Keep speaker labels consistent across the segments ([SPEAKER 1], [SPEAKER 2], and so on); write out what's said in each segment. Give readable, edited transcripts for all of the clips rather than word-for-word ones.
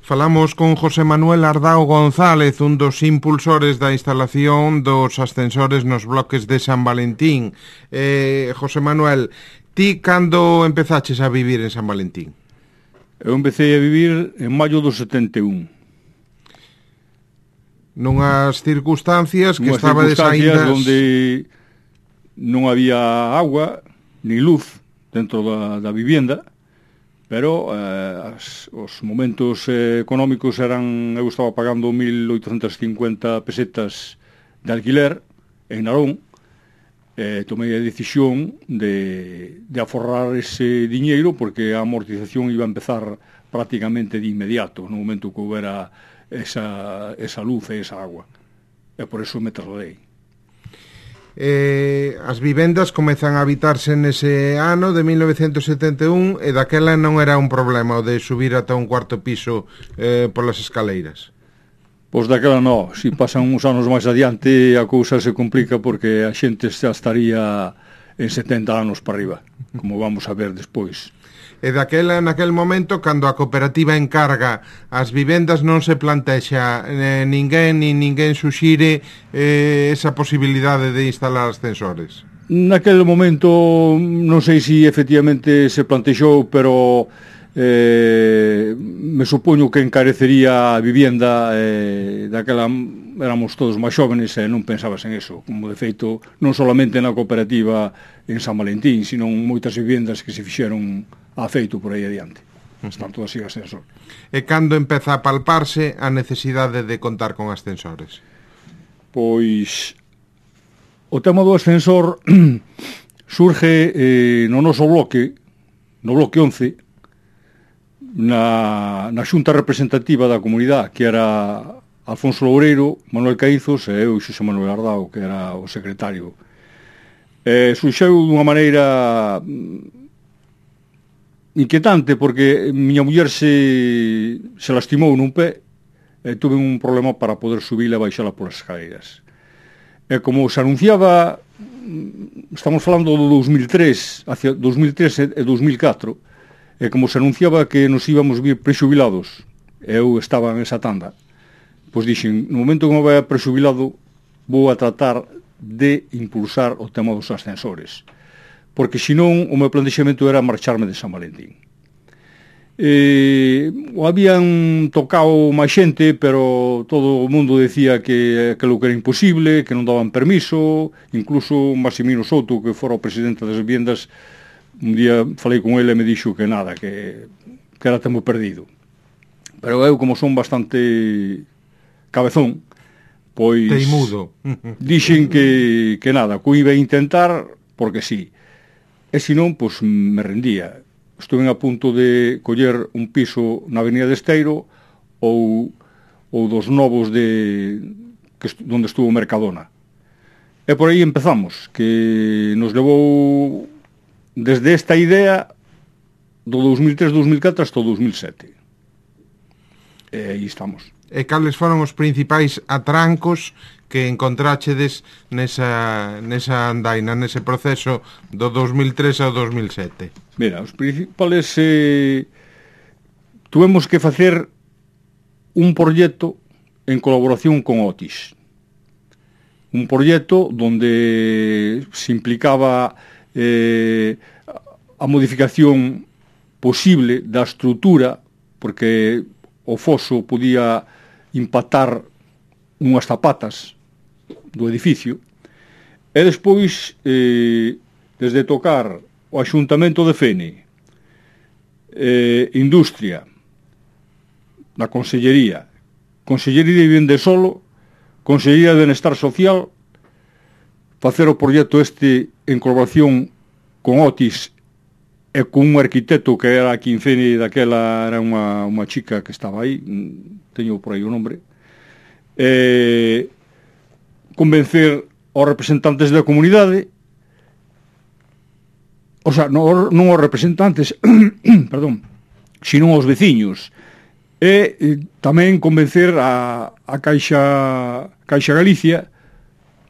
[SPEAKER 1] Falamos con José Manuel Ardao González, un dos impulsores da instalación dos ascensores nos bloques de San Valentín. José Manuel, ti cando empezaches a vivir en San Valentín?
[SPEAKER 2] Eu empecé a vivir en maio do 71.
[SPEAKER 1] Nunhas circunstancias que estabades aínda...
[SPEAKER 2] onde non había agua ni luz dentro da vivenda, pero os momentos económicos eran... Eu estaba pagando 1.850 pesetas de alquiler en Narón. Tomei a decisión de aforrar ese diñeiro porque a amortización iba a empezar prácticamente de inmediato no momento que houbera esa luz e esa agua. E por eso me trasladei.
[SPEAKER 1] As vivendas comezan a habitarse nese ano de 1971 e daquela non era un problema o de subir ata un cuarto piso polas escaleiras.
[SPEAKER 2] Pois daquela non, se pasan uns anos máis adiante a cousa se complica porque a xente xa estaría en 70 anos para arriba, como vamos a ver despois.
[SPEAKER 1] E daquela, naquel momento, cando a cooperativa encarga as vivendas, non se plantexa ninguén suxire esa posibilidade de instalar ascensores?
[SPEAKER 2] Naquel momento, non sei se efectivamente se plantexou, pero me supoño que encarecería a vivenda. Daquela éramos todos máis xóvenes e non pensabas en eso, como de feito non solamente na cooperativa en San Valentín, sino moitas vivendas que se fixeron a feito por aí adiante. Están todas sin ascensor.
[SPEAKER 1] E cando empeza a palparse a necesidade de contar con ascensores?
[SPEAKER 2] Pois o tema do ascensor surge no noso bloque, no bloque 11, na xunta representativa da comunidade, que era Alfonso Loureiro, Manuel Caízos e eu, Xosé Manuel Ardao, que era o secretario. Surxeu dunha maneira inquietante, porque miña muller se lastimou nun pé e tuve un problema para poder subila e baixala polas escaleiras. E como se anunciaba, estamos falando do 2003, hacia 2003 e 2004, e como se anunciaba que nos íbamos vir prexubilados, eu estaba en esa tanda, pois dixen, no momento que me vai prexubilado, vou a tratar de impulsar o tema dos ascensores, porque senón o meu plantexamento era marcharme de San Valentín. O habían tocado máis xente, pero todo o mundo decía que aquilo que era imposible, que non daban permiso, incluso Maximino Souto, que fora o presidente das vivendas, un día falei con ele e me dixo que nada, que era tempo perdido. Pero eu, como son bastante cabezón, pois...
[SPEAKER 1] Teimudo.
[SPEAKER 2] Dixen que nada, que iba a intentar, porque sí. E senón, pois, me rendía. Estuve a punto de coller un piso na Avenida de Esteiro ou dos novos onde estuvo Mercadona. E por aí empezamos, que nos levou desde esta idea do 2003-2004 hasta o 2007. E aí estamos.
[SPEAKER 1] E cales foron os principais atrancos que encontráchedes nesa andaina, nese proceso do 2003 ao 2007?
[SPEAKER 2] Mira, os principales tuvemos que facer un proxecto en colaboración con Otis. Un proxecto donde se implicaba a modificación posible da estrutura, porque o foso podía impactar unhas zapatas do edificio, e despois desde tocar o Axuntamento de Fene, Industria, na Consellería de Vivenda e Solo, Consellería de Benestar Social, facer o proxecto este en colaboración con Otis e con un arquitecto que era aquí en Fene, daquela era unha chica que estaba aí, teño por aí o nombre, convencer aos representantes da comunidade, o sea, non aos representantes, perdón, sino aos veciños, e tamén convencer a Caixa Galicia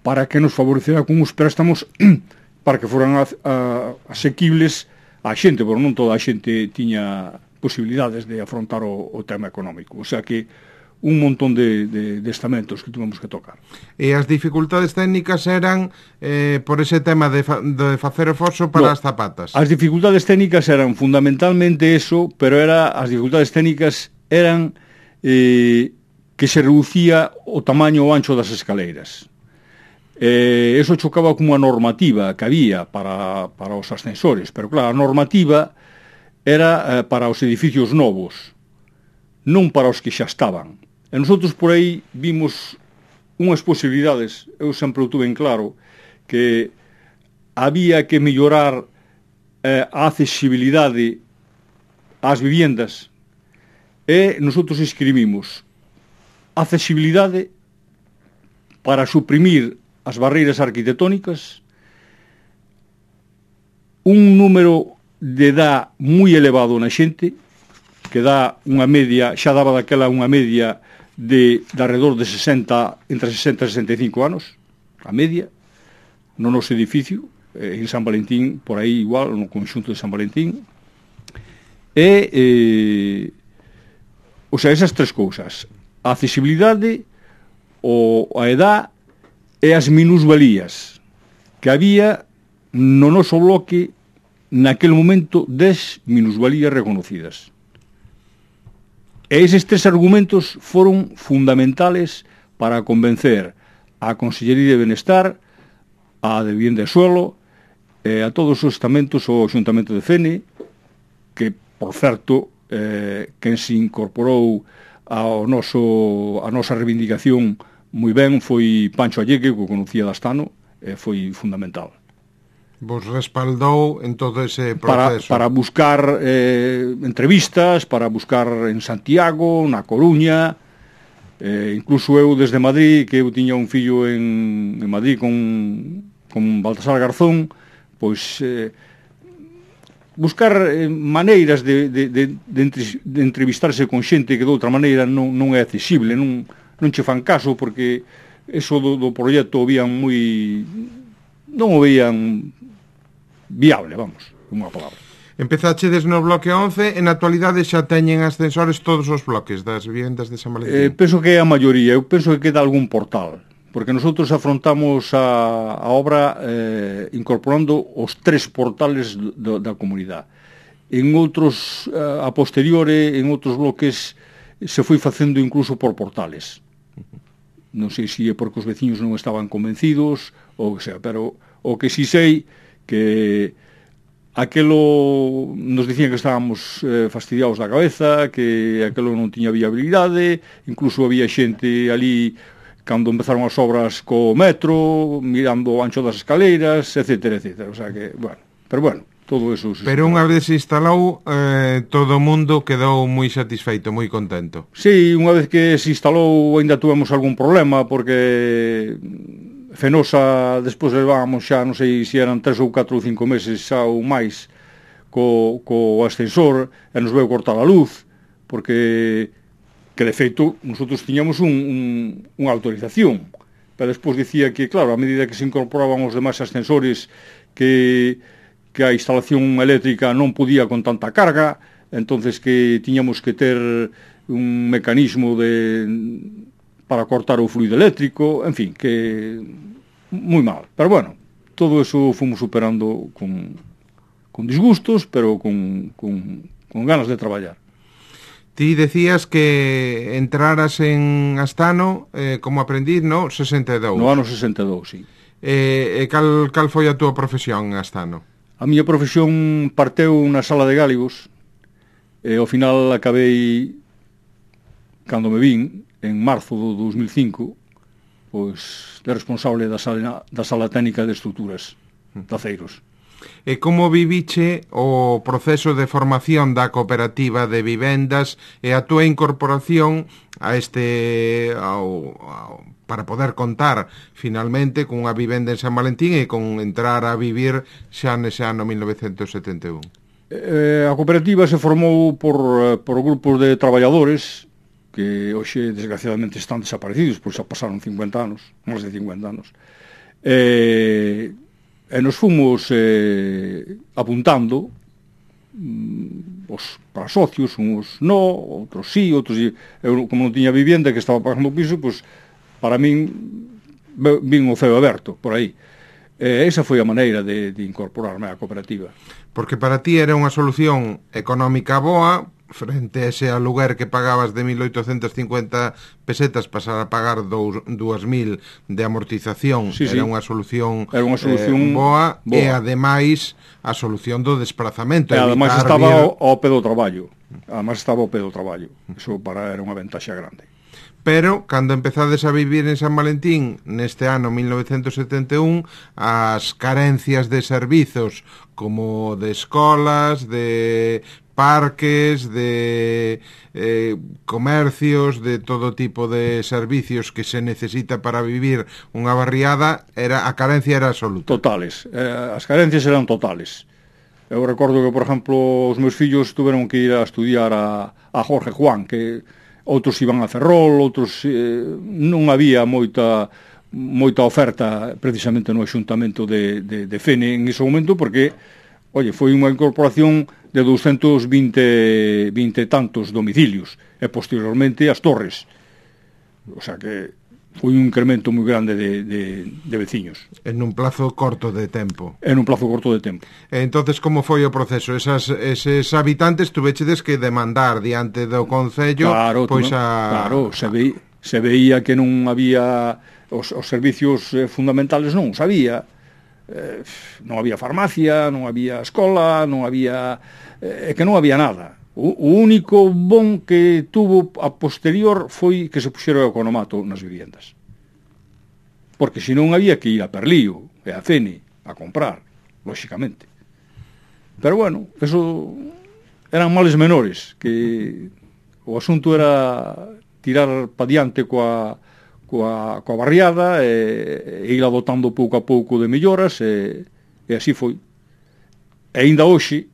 [SPEAKER 2] para que nos favorecera con uns préstamos para que foran asequibles á xente, porque non toda a xente tiña posibilidades de afrontar o tema económico. O sea que un montón de estamentos que tuvemos que tocar.
[SPEAKER 1] E as dificultades técnicas eran por ese tema de facer o foso para as zapatas?
[SPEAKER 2] As dificultades técnicas eran fundamentalmente eso, pero as dificultades técnicas eran que se reducía o tamaño o ancho das escaleiras. Eso chocaba con unha normativa que había para os ascensores, pero claro, a normativa era para os edificios novos, non para os que xa estaban. E nosotros por aí vimos unhas posibilidades, eu sempre o tuve en claro, que había que mellorar a accesibilidade ás viviendas, e nosotros escribimos accesibilidade para suprimir as barreiras arquitectónicas, un número de edad moi elevado na xente, que dá unha media, xa daba daquela unha media de alrededor de 60, entre 60 e 65 anos, a media, no noso edificio, en San Valentín, por aí igual, no conxunto de San Valentín, o sea, esas tres cousas, a accesibilidade, a edad e as minusvalías que había no noso bloque naquele momento 10 minusvalías reconocidas. E eses tres argumentos foron fundamentales para convencer a Consellería de Benestar, a de Vivienda e Suelo, a todos os estamentos, o Xuntamento de Fene, que, por certo, quen se incorporou a nosa reivindicación moi ben foi Pancho Alleque, que o conocía de Astano, foi fundamental.
[SPEAKER 1] Vos respaldou en todo ese proceso.
[SPEAKER 2] Para buscar entrevistas, para buscar en Santiago, na Coruña, incluso eu desde Madrid, que eu tiña un fillo en Madrid con Baltasar Garzón, pois buscar maneiras de entrevistarse con xente que de outra maneira non é accesible, non che fan caso, porque eso do proxecto non o veían viable, vamos, unha palabra.
[SPEAKER 1] Empezachedes no bloque 11, en actualidade xa teñen ascensores todos os bloques das vivendas de San Valentín?
[SPEAKER 2] Penso que é a maioría, eu penso que queda algún portal, porque nosotros afrontamos a obra incorporando os tres portales da comunidade. En outros, a posteriore, en outros bloques, se foi facendo incluso por portales. Non sei se é porque os veciños non estaban convencidos, ou que sea, pero o que si sei que aquelo nos dicían que estábamos fastidiados da cabeza, que aquelo non tiña viabilidade, incluso había xente ali cando empezaron as obras co metro, mirando o ancho das escaleiras, etcétera, etcétera. O sea que, bueno, pero bueno, todo eso...
[SPEAKER 1] Pero unha vez se instalou, todo o mundo quedou moi satisfeito, moi contento.
[SPEAKER 2] Sí, unha vez que se instalou ainda tuvemos algún problema, porque Fenosa, despois levábamos xa, non sei se eran 3 ou 4 ou 5 meses xa ou máis co ascensor, e nos veu cortar a luz, porque que de feito nosotros tiñamos unha autorización, pero despois dicía que, claro, a medida que se incorporaban os demais ascensores, que a instalación eléctrica non podía con tanta carga, entonces que tiñamos que ter un mecanismo para cortar o fluido eléctrico, en fin, que moi mal. Pero bueno, todo eso fomos superando con disgustos, pero con ganas de traballar.
[SPEAKER 1] Ti decías que entraras en Astano como aprendiz no 62.
[SPEAKER 2] No ano 62, sí.
[SPEAKER 1] Cal foi a túa profesión en Astano?
[SPEAKER 2] A miña profesión parteu na sala de gáligos, e ao final acabei, cando me vin, en marzo do 2005, pois de responsable da sala técnica de estruturas de aceiros.
[SPEAKER 1] E como viviche o proceso de formación da cooperativa de vivendas e a túa incorporación a para poder contar finalmente cunha vivenda en San Valentín e con entrar a vivir xa nese ano 1971?
[SPEAKER 2] A cooperativa se formou por grupos de traballadores que hoxe desgraciadamente están desaparecidos, pois xa pasaron 50 anos, máis de 50 anos. E nos fomos apuntando para socios, uns no, outros sí, outros sí. Eu, como non tiña vivienda, que estaba pagando o piso, pois, para min, vin o ceo aberto, por aí. Esa foi a maneira de incorporarme á cooperativa.
[SPEAKER 1] Porque para ti era unha solución económica boa, frente a ese aluguer que pagabas de 1.850 pesetas, pasar a pagar 2.000 de amortización.
[SPEAKER 2] Sí,
[SPEAKER 1] era
[SPEAKER 2] sí.
[SPEAKER 1] unha solución,
[SPEAKER 2] boa.
[SPEAKER 1] E ademais a solución do desplazamento.
[SPEAKER 2] E ademais estaba ao pé do traballo. Eso era unha ventaxa grande.
[SPEAKER 1] Pero, cando empezades a vivir en San Valentín, neste ano 1971, as carencias de servizos, como de escolas, de parques, de comercios, de todo tipo de servicios que se necesita para vivir unha barriada, a carencia era absoluta.
[SPEAKER 2] Totales. As carencias eran totales. Eu recordo que, por exemplo, os meus fillos tuveron que ir a estudiar a Jorge Juan, que outros iban a Ferrol, outros non había moita oferta precisamente no Axuntamento de Fene en ese momento, porque, foi unha incorporación de 220 tantos domicilios, e posteriormente as torres. O sea que foi un incremento moi grande de veciños.
[SPEAKER 1] En un plazo corto de tempo.
[SPEAKER 2] Entonces,
[SPEAKER 1] como foi o proceso? Eses habitantes tuvechedes que demandar diante do Concello?
[SPEAKER 2] Claro, se veía que non había os servicios fundamentales, non os había. Non había farmacia, non había escola, non había nada. O único bon que tuvo a posterior foi que se puxera o economato nas viviendas. Porque senón había que ir a Perlío e a Fene a comprar, lóxicamente. Pero bueno, eso eran males menores, que o asunto era tirar pa diante coa barriada e ir adotando pouco a pouco de melloras e así foi. E ainda hoxe,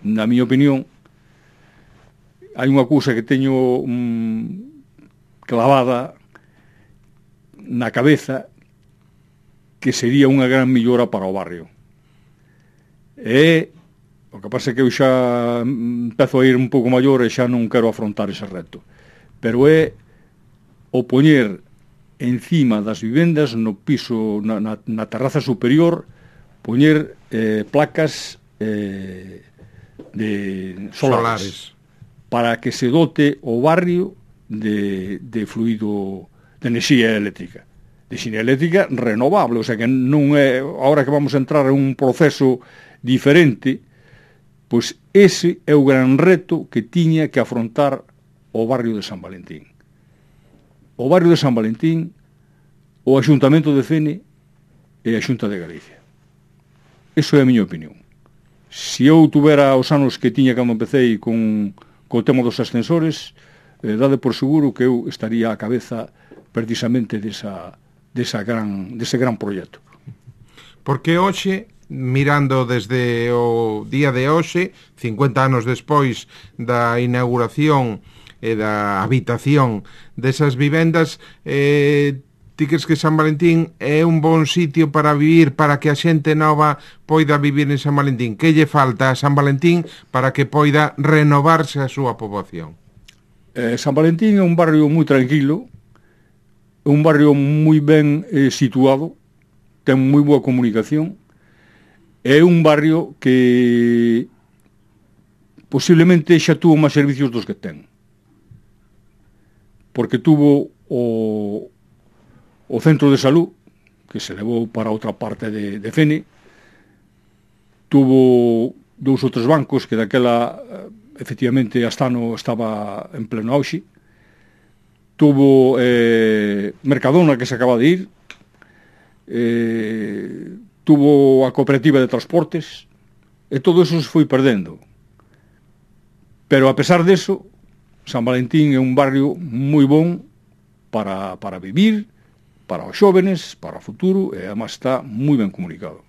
[SPEAKER 2] na miña opinión, hai unha cousa que teño clavada na cabeza, que sería unha gran millora para o barrio. O que pasa é que eu xa empezo a ir un pouco maior e xa non quero afrontar ese reto. Pero é o poñer encima das vivendas, no piso, na terraza superior, poñer placas de solares, para que se dote o barrio de fluido, de enerxía eléctrica. De enerxía eléctrica renovable, o sea que non é, agora que vamos a entrar en un proceso diferente, pois ese é o gran reto que tiña que afrontar o barrio de San Valentín. O barrio de San Valentín, o Axuntamento de Fene e a Xunta de Galicia. Eso é a miña opinión. Se eu tuvera os anos que tiña cando empecéi con o tema dos ascensores, dade por seguro que eu estaría á cabeza precisamente dese gran proxecto.
[SPEAKER 1] Porque hoxe, mirando desde o día de hoxe, 50 anos despois da inauguración e da habitación desas vivendas, ti crees que San Valentín é un bon sitio para vivir, para que a xente nova poida vivir en San Valentín? Que lle falta a San Valentín para que poida renovarse a súa poboación?
[SPEAKER 2] San Valentín é un barrio moi tranquilo, é un barrio moi ben situado, ten moi boa comunicación, é un barrio que posiblemente xa tuvo máis servicios dos que ten. Porque tuvo o centro de salud, que se levou para outra parte de Fene, tuvo 2 ou 3 bancos que daquela efectivamente Astano estaba en pleno auxe, tuvo Mercadona, que se acaba de ir, tuvo a cooperativa de transportes, e todo eso se foi perdendo. Pero a pesar deso, San Valentín é un barrio moi bon para vivir, para os xóvenes, para o futuro, e además está moi ben comunicado.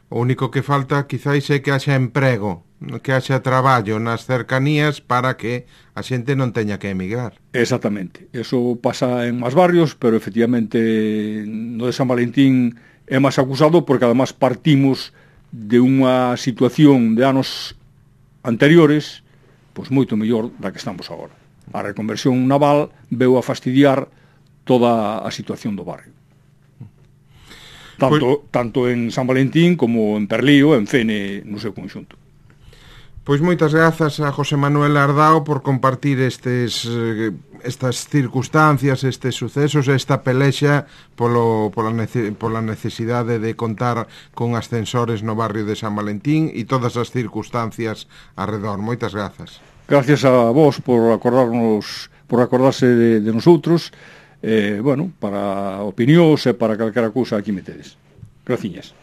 [SPEAKER 1] O único que falta quizáis é que haxa emprego, que haxa traballo nas cercanías para que a xente non teña que emigrar.
[SPEAKER 2] Exactamente. Eso pasa en máis barrios, pero efectivamente no de San Valentín é máis acusado porque además partimos de unha situación de anos anteriores, pois moito mellor da que estamos agora. A reconversión naval veu a fastidiar toda a situación do barrio. Tanto en San Valentín como en Perlío, en Fene, no seu conxunto.
[SPEAKER 1] Pois moitas grazas a José Manuel Ardao por compartir estas circunstancias, estes sucesos, esta pelexa pola necesidade de contar con ascensores no barrio de San Valentín e todas as circunstancias arredor. Moitas grazas.
[SPEAKER 2] Gracias a vos por acordarse de nosotros, para opinións e para calquera cousa aquí metedes. Graciñas.